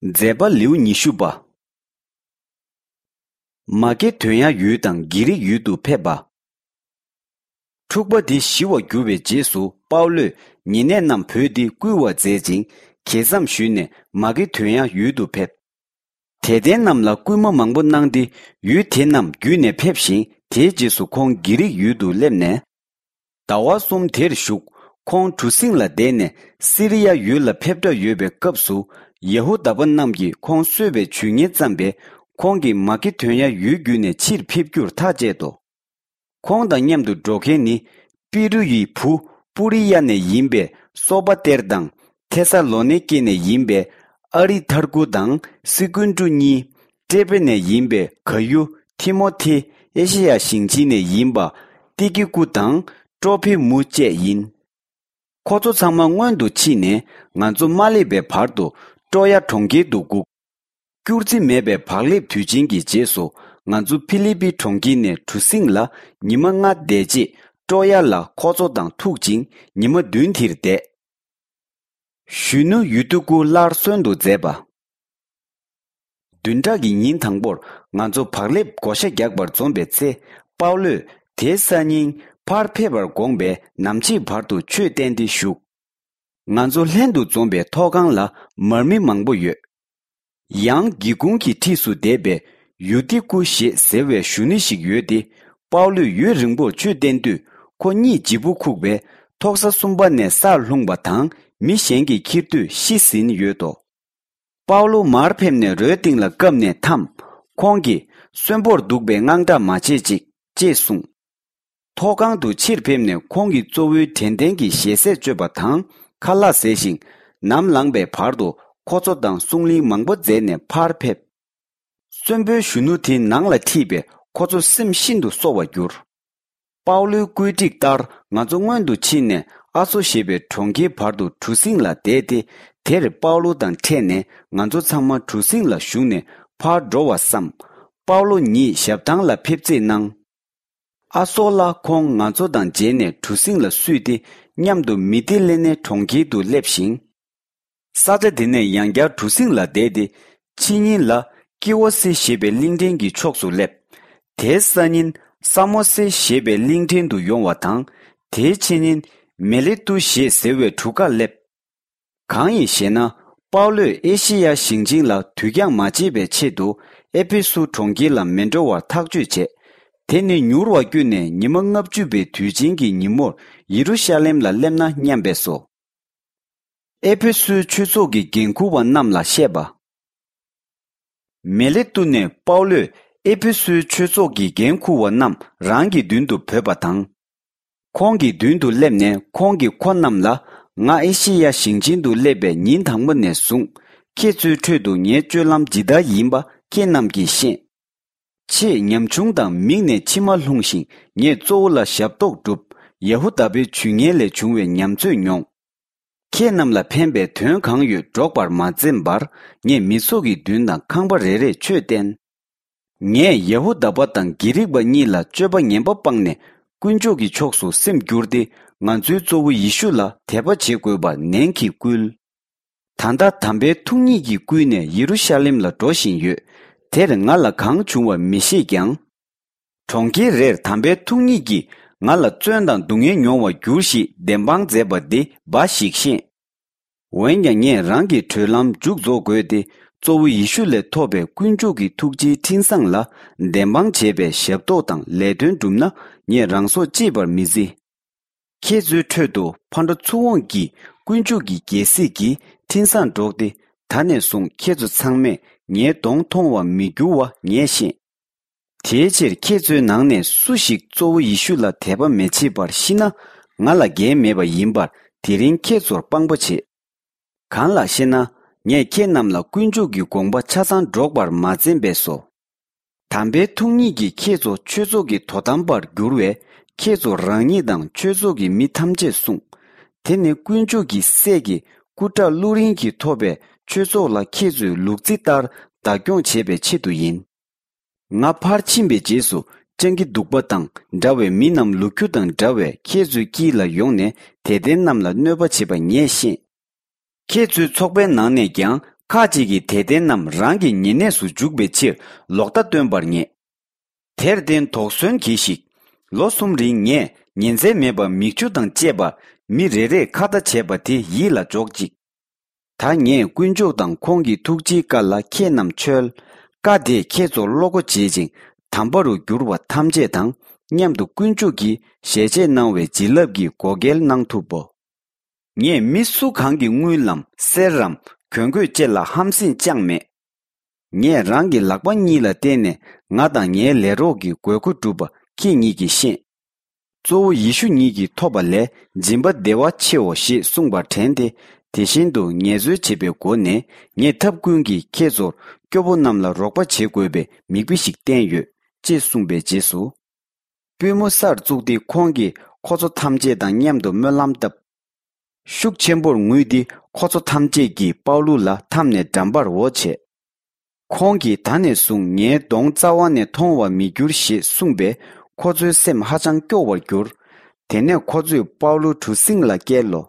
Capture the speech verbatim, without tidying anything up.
མཛད་པ་ལེའུ་ཉི་ཤུ་པ། མ་ཀེ་དོན་ཡ་ཡུལ་དང་གི་རིག་ཡུལ་དུ་ཕེབས་པ། འཁྲུག་པ་འདི་ཞི་བར་གྱུར་བའི་རྗེས་སུ་པའུ་ལོས་ཉེ་གནས་རྣམས་བོས་ཏེ་བསྐུལ་བ་མཛད་ཅིང་གྱེས་མཚམས་ཞུས་ནས་མ་ཀེ་དོན་ཡ་ཡུལ་དུ་ཕེབས། དད་ལྡན་རྣམས་ལ་སྐུལ་མ་མང་པོ་གནང་སྟེ་ཡུལ་དེ་རྣམས་བརྒྱུད་ནས་ཕེབས་ཤིང་དེའི་རྗེས་སུ་ཁོང་གི་རིག་ཡུལ་དུ་སླེབས་ནས། ཟླ་བ་གསུམ་དེར་བཞུགས། ཁོང་གྲུ་གཟིངས་ལ་བསྡད་ནས་སི་རི་ཡ་ཡུལ་ལ་ཕེབས་གྲབས་ཡོད་པའི་སྐབས་སུ་ཡ་ཧུ་དཱ་པ་རྣམས་ཀྱིས་ཁོང་གསོད་པའི་ཇུས་ངན་བརྩམས་པས་ཁོང་གིས་མ་ཀེ་དོན་ཡ་ཡུལ་བརྒྱུད་ནས་ཕྱིར་ཕེབས་རྒྱུར་ཐག་བཅད་དོ། ཁོང་དང་མཉམ་དུ་འགྲོ་མཁན་ནི་པི་རུ་ཡི་བུ་པུ་རི་ཡ་ནས་ཡིན་པའི་སོ་པ་ཏེར་དང་ཐེ་ས་ལོ་ནེ་ཀེ་ནས་ཡིན་པའི་ཨ་རི་ཐར་ཀུ་དང་སི་ཀུན་ཀྲུ་གཉིས། ཀྲེ་པེ་ནས་ཡིན་པའི་ག་ཡུ་ཐི་མོ་ཐི། ཨེ་ཤེ་ཡ་ཞིང་ཆེན་ནས་ཡིན་པ་ཏི་ཀི་ཀུ་དང་ཏྲོ་ཕི་མུ་བཅས་ཡིན། ཁོ་ཚོ་ཚང་མ་སྔོན་དུ་ཕྱིན་ནས་ང་ཚོ་མ་སླེབས་པའི་བར་དུ་ཀྲོ་ཡ་གྲོང་ཁྱེར་དུ་སྒུག་སྐྱུར་རྩི་མེད་པའི་བག་ལེབ་དུས་ཆེན་གྱི་རྗེས་སུ་ང་ཚོ་ཕི་ལི་པི་གྲོང་ཁྱེར་ནས་གྲུ་གཟིངས་ལ་ཉི་མ་ལྔ་བསྡད་རྗེས་ཀྲོ་ཡ་ལ་ཁོ་ཚོ་དང་ཐུག་ཅིང་ཉི་མ་བདུན་དེར་བསྡད། གཞོན་ནུ་ཡུ་ཏུ་ཀུ་སླར་གསོན་དུ་མཛད་པ། བདུན་ཕྲག་གི་ཉིན་དང་པོར་ང་ཚོ་བག་ལེབ་བགོ་བཤའ་རྒྱག་པར་འཛོམས་པའི་ཚེ་པའུ་ལོས་དེའི་སང་ཉིན་ཕར་ཕེབས་པར་དགོངས་པས་ནམ་ཕྱེད་བར་དུ་ཆོས་བསྟན་ཏེ་བཞུགས། ང་ཚོ་ལྷན་དུ་འཛོམས་པའི་ཐོག་ཁང་ལ་མར་མེ་མང་པོ་ཡོད། ཡང་སྒེའུ་ཁུང་གི་འཁྲིས་སུ་བསྡད་པའི་ཡུ་ཏི་ཀུ་ཞེས་ཟེར་བའི་གཞོན་ནུ་ཞིག་ཡོད་དེ། པའུ་ལོས་ཡུན་རིང་པོར་ཆོས་བསྟན་དུས་ཁོ་གཉིད་ལྗིད་པོ་ཁུག་པས་ཐོག་ས་གསུམ་པ་ནས་སར་ལྷུང་བ་དང་མི་གཞན་གྱིས་འཁྱེར་དུས་ཤི་ཟིན་ཡོད་དོ། པའུ་ལོ་མར་ཕེབས་ནས་རོའི་སྟེང་ལ་བཀབ་ནས་འཐམས། ཁོང་གིས་གསོན་པོར་འདུག་པའི་དངངས་སྐྲག་མ་བྱེད་ཅིག་ཅེས་གསུངས། ཐོག་ཁང་དུ་ཕྱིར་ཕེབས་ནས་ཁོང་གིས་གཙོ་བོའི་དྲན་རྟེན་གྱི་ཞལ་ཟས་སྤྱོད་པ་དང་ཁ་ལག་བཟས་ཤིང་ནམ་ལངས་པའི་བར་དུ་ཁོ་ཚོ་དང་གསུང་གླེང་མང་པོ་མཛད་ནས་ཕར་ཕེབས། གསོན་པོའི་གཞོན་ནུ་དེ་ནང་ལ་ཁྲིད་པས་ཁོ་ཚོ་སེམས་ཤིན་ཏུ་གསོ་བར་གྱུར། པའུ་ལོའི་བཀོད་སྒྲིག་ལྟར་ང་ཚོ་སྔོན་དུ་ཕྱིན་ནས་ཨ་སོ་ཞེས་པའི་གྲོང་ཁྱེར་བར་དུ་གྲུ་གཟིངས་ལ་བསྡད་དེ། དེར་པའུ་ལོ་དང་འཕྲད་ནས་ང་ཚོ་ཚང་མ་གྲུ་གཟིངས་ལ་ཞུགས་ནས་ཕར་འགྲོ་བར་བསམ། པའུ་ལོ་ཉིད་ཞབས་ཐང་ལ་ཕེབས་རྩིས་གནང་། ཨ་སོ་ལ་ཁོང་ང་ཚོ་དང་མཇལ་ནས་གྲུ་གཟིངས་ལ་བསུས་ཏེ་མཉམ་དུ་མི་ཏི་ལེ་ནེ་གྲོང་ཁྱེར་དུ་སླེབས་ཤིང་། ས་ཆ་དེ་ནས་ཡང་བསྐྱར་གྲུ་གཟིངས་ལ་བསྡད་དེ། ཕྱི་ཉིན་ལ་ཀི་ཝོ་སི་ཞེས་པའི་གླིང་ཕྲན་གྱི་ཕྱོགས་སུ་སླེབས། དེའི་སང་ཉིན་ས་མོ་སེ་ཞེས་པའི་གླིང་ཕྲན་དུ་ཡོང་བ་དང་། དེའི་ཕྱི་ཉིན་མེ་ལེ་ཏུ་ཞེས་ཟེར་བའི་གྲུ་ཁར་སླེབས། གང་ཡིན་ཞེ་ན། པའུ་ལོས་ཨེ་ཤེ་ཡ་ཞིང་ཆེན་ལ་དུས་འགྱངས་མ་བྱེད་པའི་ཆེད་དུ་ཨེ་ཕེ་སུ་གྲོང་ཁྱེར་ལ་མི་འགྲོ་བར་ཐག་གཅོད་བྱས། དེ་ནི་མྱུར་བ་བསྐྱོད་ནས་ཉི་མ་ལྔ་བཅུ་པའི་དུས་ཆེན་གྱི་ཉིན་མོར་ཡེ་རུ་ཤ་ལེམ་ལ་སླེབས་ན་སྙམ་པས་སོ། ཨེ་ཕེ་སུའི་ཆོས་ཚོགས་ཀྱི་འགན་འཁུར་བ་རྣམས་ལ་བཤད་པ། མེ་ལེ་ཏུ་ནས་པའུ་ལོས་ཨེ་ཕེ་སུའི་ཆོས་ཚོགས་ཀྱི་འགན་འཁུར་བ་རྣམས་རང་གི་མདུན་དུ་བོས་པ་དང་། ཁོང་གི་མདུན་དུ་སླེབས་ནས་ཁོང་གིས་ཁོ་རྣམས་ལ། ང་ཨེ་ཤེ་ཡ་ཞིང་ཆེན་དུ་སླེབས་པའི་ཉིན་དང་པོ་ནས་བཟུང་ཁྱེད་ཚོའི་ཁྲོད་དུ་ངའི་སྤྱོད་ལམ་ཇི་ལྟར་ཡིན་པ་ཁྱེད་རྣམས་ཀྱིས་ཤེས། ཆེས་ཉམ་ཆུང་དང་མིང་ནས་ཕྱི་མ་ལྷུང་ཞིང་ངས་གཙོ་བོ་ལ་ཞབས་ཏོག་བསྒྲུབས། ཡ་ཧུ་དཱ་པའི་ཇུས་ངན་ལས་བྱུང་བའི་ཉམས་ཚོད་མྱོང་། ཁྱེད་རྣམས་ལ་ཕན་པའི་དོན་གང་ཡོད་སྒྲོག་པར་མ་འཛེམས་པར་ངས་མི་ཚོགས་ཀྱི་མདུན་དང་ཁང་པ་རེ་རེར་ཆོས་བསྟན། ངས་ཡ་ཧུ་དཱ་པ་དང་གྷི་རིག་པ་གཉིས་ལ་སྤྱོད་པ་ངན་པ་སྤངས་ནས་དཀོན་མཆོག་གི་ཕྱོགས་སུ་སེམས་བསྒྱུར་ཏེ་ང་ཚོའི་གཙོ་བོ་ཡེ་ཤུ་ལ་དད་པ་བྱེད་དགོས་པར་ནན་གྱིས་བསྐུལ། ད་ལྟ་དམ་པའི་ཐུགས་ཉིད་ཀྱིས་བསྐུལ་ནས་ཡེ་རུ་ཤ་ལེམ་ལ་འགྲོ་བཞིན་ཡོད། དེར་ང་ལ་གང་བྱུང་བ་མི་ཤེས་ཀྱང་། གྲོང་ཁྱེར་རེར་དམ་པའི་ཐུགས་ཉིད་ཀྱིས་ང་ལ་བཙོན་དང་སྡུག་བསྔལ་མྱོང་བར་འགྱུར་ཞེས་བདེན་དཔང་མཛད་པ་འདི་འབའ་ཞིག་ཤེས། འོན་ཀྱང་ངས་རང་གི་གྲོལ་ལམ་མཇུག་རྫོགས་དགོས་ཏེ་གཙོ་བོ་ཡེ་ཤུ་ལས་ཐོབ་པའི་དཀོན་མཆོག་གི་ཐུགས་རྗེའི་འཕྲིན་བཟང་ལ་བདེན་དཔང་བྱས་པའི་ཞབས་ཏོག་དང་ལས་དོན་བསྒྲུབས་ན་ངས་རང་སྲོག་གཅེས་པར་མི་བརྩི། ཁྱེད་ཚོའི་ཁྲོད་དུ་ཕ་འགྲོ་ཚུར་འོང་གིས་དཀོན་མཆོག་གི་རྒྱལ་སྲིད་ཀྱི་འཕྲིན་བཟང་སྒྲོག་སྟེ་ད་ནས་བཟུང་ཁྱེད་ཚོ་ཚང་མས་ངའི་གདོང་མཐོང་བར་མི་འགྱུར་བ་ངས་ཤེས། དེའི་ཕྱིར་ཁྱེད་ཚོའི་ནང་ནས་སུ་ཞིག་གཙོ་བོ་ཡེ་ཤུ་ལ་དད་པ་མི་བྱེད་པར་ཤི་ན་ང་ལ་འགན་མེད་པ་ཡིན་པར་དེ་རིང་ཁྱེད་ཚོར་དཔང་པོ་བྱེད། གང་ལགས་ཤེ་ན། ངས་ཁྱེད་རྣམས་ལ་དཀོན་མཆོག་གི་དགོངས་པ་ཆ་ཚང་སྒྲོག་པར་མ་འཛེམས་པས་སོ། དམ་པའི་ཐུགས་ཉིད་ཀྱིས་ཁྱེད་ཚོ་ཆོས་ཚོགས་ཀྱི་དོ་དམ་པར་འགྱུར་བས་ཁྱེད་ཚོ་རང་ཉིད་དང་ཆོས་ཚོགས་ཀྱི་མི་ཐམས་ཅད་སྲུང་། དེ་ནི་དཀོན་མཆོག་གི་སྲས་ཀྱི་སྐུ་དགྲ་བླུ་རིན་གྱིས་ཐོབ་པའི་ཆོས་ཚོགས་ལ་ཁྱེད་ཚོའི་ལུག་རྫི་ལྟར་བདག་སྐྱོང་བྱེད་པའི་ཆེད་དུ་ཡིན། ང་ཕར་ཕྱིན་པའི་རྗེས་སུ་སྤྱང་ཀི་གདུག་པ་དང་འདྲ་བའི་མི་རྣམས་ལུ་གུ་དང་འདྲ་བས་ཁྱེད་ཚོའི་དཀྱིལ་ལ་ཡོང་ནས་དད་ལྡན་རྣམས་ལ་གནོད་པ་བྱེད་པ་ངས་ཤེས། ཁྱེད་ཚོའི་ཚོགས་པའི་ནང་ནས་ཀྱང་ ཁ་ཅིག་གིས་དད་ལྡན་རྣམས་རང་གི་ཉེ་གནས་སུ་འཇུག་པའི་ཕྱིར་ལོག་ལྟ་སྟོན་པར་ངེས། དེར་བརྟེན་དོགས་ཟོན་གྱིས་ཤིག། ལོ་གསུམ་རིང་ངས་ཉིན་མཚན་མེད་པར་མིག་ཆུ་དང་བཅས་པ་མི་རེ་རེས་ཁ་བརྡ་བྱས་པ་དེ་ཡིད་ལ་འཇོག་ཅིག། ད་ངས་དཀོན་མཆོག་དང་ཁོང་གི་ཐུགས་རྗེའི་བཀའ་ལ་ཁྱེད་རྣམས་འཆོལ། བཀའ་དེས་ཁྱེད་ཚོར་བློ་སྒོ་འབྱེད་ཅིང་དམ་པ་རུ་འགྱུར་བ་ཐམས་ཅད་དང་མཉམ་དུ་དཀོན་མཆོག་གིས་ཞལ་ཆད་གནང་བའི་བྱིན་རླབས་ཀྱི་བགོ་སྐལ་གནང་ཐུབ་བོ། ངས་མི་སུ་གང་གི་དངུལ་ལམ་གསེར་རམ་གྱོན་གོས་བཅས་ལ་ཧམ་སེམས་བཅངས་མེད། ངས་རང་གི་ལག་པ་གཉིས་ལ་བརྟེན་ནས་ང་དང་ངའི་ལས་རོགས་ཀྱི་དགོས་མཁོ་བསྒྲུབས་པ་ཁྱེད་ཉིད་ཀྱིས་ཤེས། གཙོ་བོ་ཡེ་ཤུ་ཉིད་ཀྱིས་ཐོབ་པ་ལས་སྦྱིན་པ་བདེ་བ་ཆེའོ་ཞེས་གསུངས་པར་དྲན་ཏེ། དེ་བཞིན་དུ་ངལ་རྩོལ་བྱེད་པའི་སྒོ་ནས་ངས་ཐབས་ཀུན་གྱིས་ཁྱེད་ཚོར་སྐྱོ་པོ་རྣམས་ལ་རོགས་པ་བྱེད་དགོས་པའི་མིག་དཔེ་ཞིག་བསྟན་ཡོད་ཅེས་གསུངས་པའི་རྗེས་སུ། པུས་མོ་སར་བཙུགས་ཏེ་ཁོང་གིས་ཁོ་ཚོ་ཐམས་ཅད་དང་མཉམ་དུ་སྨོན་ལམ་བཏབ། ཤུགས་ཆེན་པོར་ངུས་ཏེ་ཁོ་ཚོ་ཐམས་ཅད་ཀྱིས་པའུ་ལུ་ལ་འཐམས་ནས་འགྲམ་པར་འོ་བྱས། ཁོང་གིས་ད་ནས་བཟུང་ངའི་གདོང་རྩ་བ་ནས་མཐོང་བར་མི་འགྱུར་ཞེས་གསུངས་པས་ཁོ་ཚོའི་སེམས་ཧ་ཅང་སྐྱོ་བར་གྱུར། དེ་ནས་ཁོ་ཚོས་པའུ་ལུ་གྲུ་གཟིངས་ལ་བཀལ་ལོ།